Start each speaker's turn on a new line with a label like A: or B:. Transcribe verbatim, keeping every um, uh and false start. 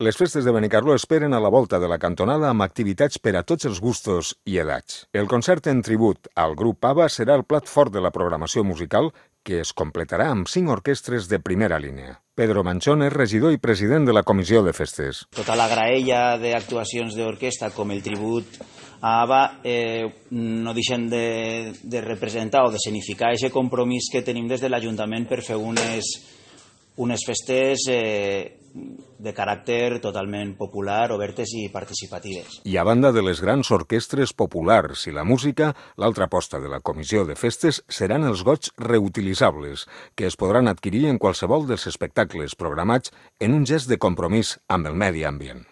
A: Les festes de Benicarló esperen a la volta de la cantonada amb activitats per a tots els gustos i edats. El concert en tribut al grup ABBA serà el plat fort de la programació musical, que es completarà amb cinc orquestres de primera línia. Pedro Manchón és regidor i president de la Comissió de Festes.
B: Tota la graella d'actuacions d'orquestra com el tribut a ABBA eh, no deixen de, de representar o de significar aquest compromís que tenim des de l'Ajuntament per fer unes, unes festes eh, de caràcter totalment popular, obertes i participatives.
A: I a banda de les grans orquestres populars i la música, l'altra aposta de la Comissió de Festes seran els gots reutilitzables, que es podran adquirir en qualsevol dels espectacles programats en un gest de compromís amb el medi ambient.